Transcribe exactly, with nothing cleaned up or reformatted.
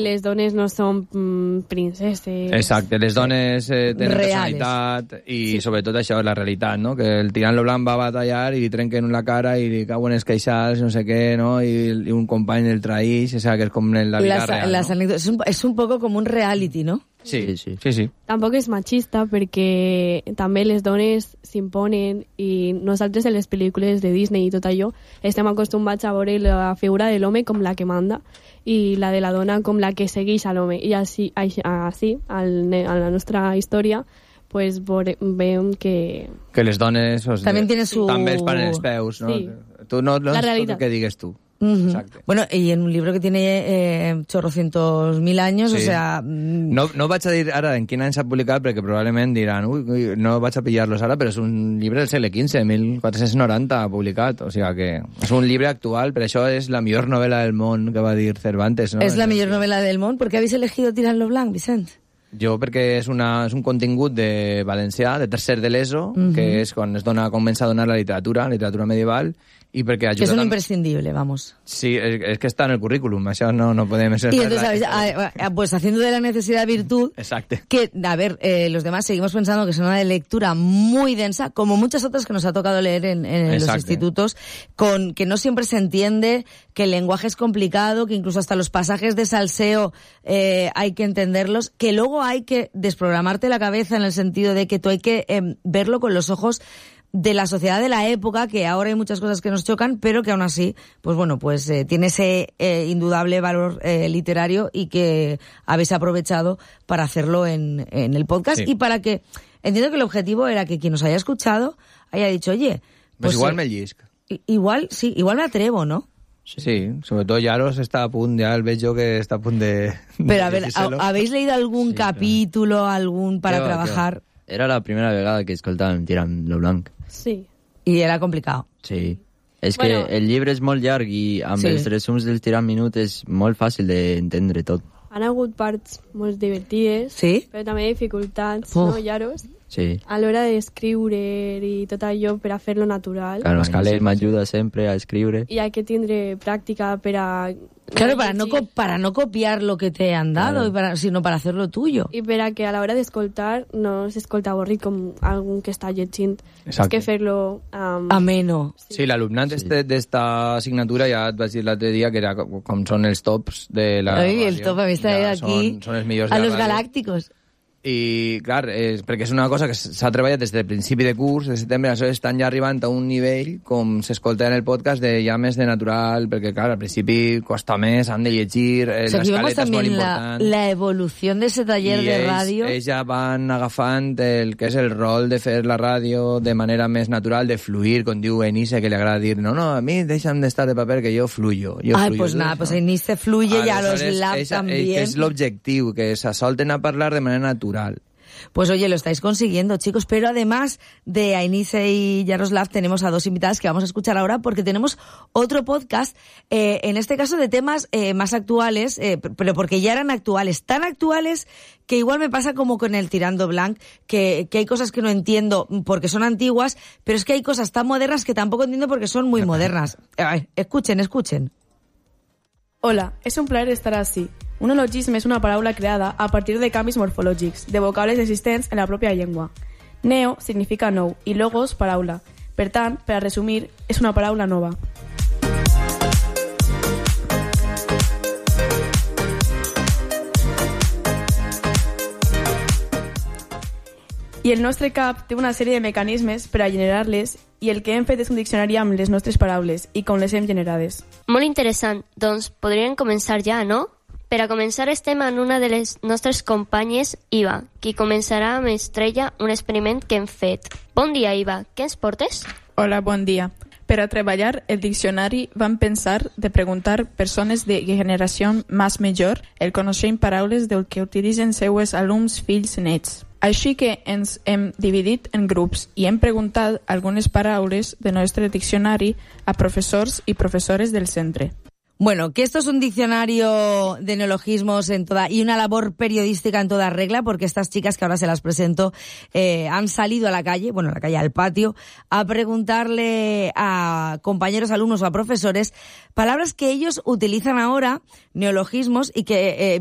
Les dones no són mm, princeses... Exacte, les dones eh, tenen reales. personalitat i Sí. sobretot això és la realitat, no? Que el tirant lo blanc va a batallar i li trenquen la cara i li cauen els queixals, no sé què, no? I, i un company el traïx, o sea, que és com en la vida Las, real, las no? anécdotas, es, un, es un poco como un reality, ¿no? Sí, sí, sí. sí. Tampoc és machista perquè també les dones s'imponen i nosaltres en les pel·lícules de Disney i tot allò estem acostumats a veure la figura de l'home com la que manda i la de la dona com la que segueix a l'home. I així, així, així al, a la nostra història pues veiem que... Que les dones... Pues, También tiene su- També els paren els peus, no? Sí. Tu no, no La és tot realitat. el que digues tu. Ujú. Exacte. Bueno, y en un libro que tiene eh, chorrocientos mil años, Sí. o sea... mm, No, no vaig a dir ara en quin any s'ha publicat perquè probablement diran ui, ui, no vaig a pillar-los ara, però és un llibre del segle quinze, mil quatre-cents noranta publicat, o sigui que és un llibre actual, per això és la millor novel·la del món que va dir Cervantes, no? es la mejor novela del mundo. ¿Por qué habéis elegido Tirant lo Blanc, Vicent? Jo perquè és, una, és un contingut de valencià, de tercer de l'ESO, Mhm. que és quan es dona, comença a donar la literatura, la literatura medieval, i perquè Que es ajuda... un tam- imprescindible, vamos. Sí, és, és que està en el currículum, això no, no podem... Y entonces, ¿sabéis? Ah, ah, pues haciendo de la necesidad virtud, Exacte. que, a ver, eh, los demás seguimos pensando que es una lectura muy densa, como muchas otras que nos ha tocado leer en, en los Exacto. institutos, con que no siempre se entiende, que el lenguaje es complicado, que incluso hasta los pasajes de salseo eh, hay que entenderlos, que luego hay que desprogramarte la cabeza en el sentido de que tú hay que eh, verlo con los ojos de la sociedad de la época, que ahora hay muchas cosas que nos chocan, pero que aún así, pues bueno, pues eh, tiene ese eh, indudable valor eh, literario y que habéis aprovechado para hacerlo en, en el podcast. Sí. Y para que, entiendo que el objetivo era que quien nos haya escuchado haya dicho, oye, Pues pues igual eh, me llisc. i- igual, sí, igual me atrevo, ¿no? Sí, sobretot Yaros està a punt, ja el veig jo que està a punt de... Pero a de ver, decírselo. ¿ha- ¿habéis leído algún Sí, claro. capítulo, algún para Què va, trabajar? què va. Era la primera vegada que escoltàvem Tirant lo Blanc. Sí. Y era complicado. Sí. És Bueno. que el llibre és molt llarg i amb Sí. els resums del Tirant Minut és molt fàcil d'entendre tot. Han hagut parts molt divertides, Sí? però també dificultats, Uf. no, Yaros? Sí. A l'hora d'escriure i tot allò per a fer-lo natural. Claro, Escalera. Inés m'ajuda sempre a escriure. I hay que tindre pràctica per a... Claro, para no, llegir. co- para no copiar lo que te han dado, Claro. y para, sino para hacerlo tuyo. I per a que a l'hora d'escoltar no s'escolta avorrit com algun que està llegint. És Exacte. que fer-lo... Um, Ameno. Sí, l'alumnat Sí. este d'esta assignatura ja et vaig dir l'altre dia que era com, com són els tops de la Ay, el ràdio. top, habéis traído Ja aquí Són, són els millors a de la los ràdio. galácticos. I, clar, és, perquè és una cosa que s'ha treballat des del principi de curs, de setembre, això estan ja arribant a un nivell, com s'escolta en el podcast, de ja més de natural, perquè, clar, al principi costa més, han de llegir, eh, O sea, aquí vemos l'escaleta és molt también la, important. la evolución de ese taller I de ells, radio. ells ja van agafant el que és el rol de fer la ràdio de manera més natural, de fluir, com diu Enise, que li agrada dir, no, no, a mi deixa'm d'estar de paper, que jo fluyo. Jo Ay, fluyo. pues nada, pues Inés se fluye y a los Aleshores, lab és, también. Que és l'objectiu, que se solten a parlar de manera natural. Pues oye, lo estáis consiguiendo, chicos, pero además de Ainice y Yaroslav tenemos a dos invitadas que vamos a escuchar ahora porque tenemos otro podcast, eh, en este caso de temas eh, más actuales, eh, pero porque ya eran actuales, tan actuales que igual me pasa como con el Tirando Blanc, que, que hay cosas que no entiendo porque son antiguas, pero es que hay cosas tan modernas que tampoco entiendo porque son muy modernas. Ay, escuchen, escuchen. Hola, és un plaer estar ací. Un neologisme és una paraula creada a partir de canvis morfològics, de vocables existents en la pròpia llengua. Neo significa nou i logos, paraula. Per tant, per a resumir, és una paraula nova. I el nostre cap té una sèrie de mecanismes per a generar-les i el que hem fet és un diccionari amb les nostres paraules i com les hem generades. Molt interessant. Doncs podríem començar ja, no? Per a començar estem en una de les nostres companyes, Iva, qui començarà amb Estrella un experiment que hem fet. Bon dia, Iva. Què ens portes? Hola, bon dia. Per a treballar el diccionari vam pensar de preguntar persones de generació més major el coneixent paraules del que utilitzen seues alumns fills nets. Així que ens hem dividit en grups i hem preguntat algunes paraules del nostre diccionari a professors i professores del centre. Bueno, que esto es un diccionario de neologismos en toda y una labor periodística en toda regla, porque estas chicas que ahora se las presento eh, han salido a la calle, bueno, a la calle, al patio, a preguntarle a compañeros, alumnos o a profesores palabras que ellos utilizan ahora, neologismos, y que eh,